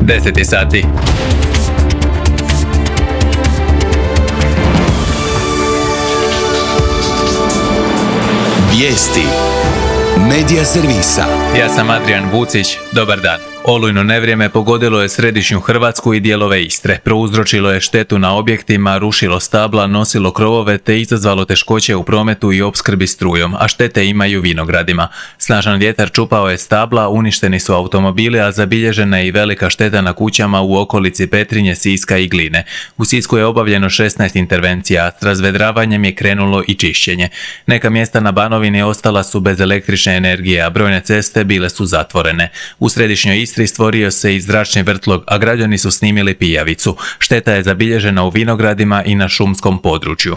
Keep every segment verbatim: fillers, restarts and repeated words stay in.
deset sati. Vijesti Medija servisa. Ja sam Adrian Vucić, dobar dan. Olujno nevrijeme pogodilo je središnju Hrvatsku i dijelove Istre. Prouzročilo je štetu na objektima, rušilo stabla, nosilo krovove te izazvalo teškoće u prometu i opskrbi strujom, a štete imaju vinogradima. Snažan vjetar čupao je stabla, uništeni su automobili, a zabilježena je i velika šteta na kućama u okolici Petrinje, Siska i Gline. U Sisku je obavljeno šesnaest intervencija, a s razvedravanjem je krenulo i čišćenje. Neka mjesta na Banovini ostala su bez električne energije, a brojne ceste bile su zatvorene. U središnjoj Istri stvorio se i zračni vrtlog, a građani su snimili pijavicu. Šteta je zabilježena u vinogradima i na šumskom području.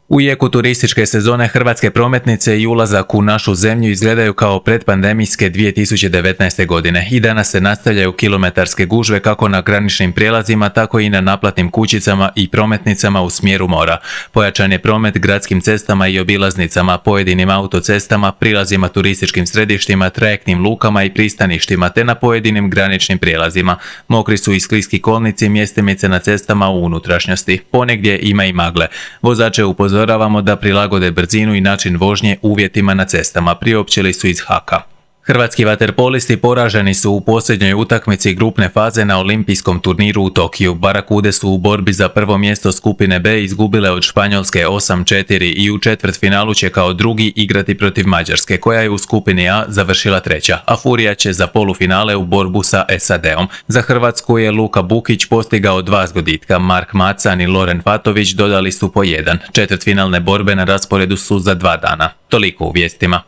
U jeku turističke sezone hrvatske prometnice i ulazak u našu zemlju izgledaju kao predpandemijske dvije tisuće devetnaeste. godine. I danas se nastavljaju kilometarske gužve kako na graničnim prijelazima, tako i na naplatnim kućicama i prometnicama u smjeru mora. Pojačan je promet gradskim cestama i obilaznicama, pojedinim autocestama, prilazima turističkim središtima, trajektnim lukama i pristaništima, te na pojedinim graničnim prijelazima. Mokri su i skliski kolnici, mjestimice na cestama u unutrašnjosti. Ponegdje ima i magle. Vozače upozoravaju Upozoravamo da prilagode brzinu i način vožnje uvjetima na cestama, priopćili su iz Haka. Hrvatski vaterpolisti poraženi su u posljednjoj utakmici grupne faze na olimpijskom turniru u Tokiju. Barakude su u borbi za prvo mjesto skupine B izgubile od Španjolske osam četiri i u četvrtfinalu će kao drugi igrati protiv Mađarske, koja je u skupini A završila treća, a Furija će za polufinale u borbu sa S A D-om. Za Hrvatsku je Luka Bukić postigao dva zgoditka, Mark Macan i Loren Fatović dodali su po jedan. Četvrtfinalne borbe na rasporedu su za dva dana. Toliko u vijestima.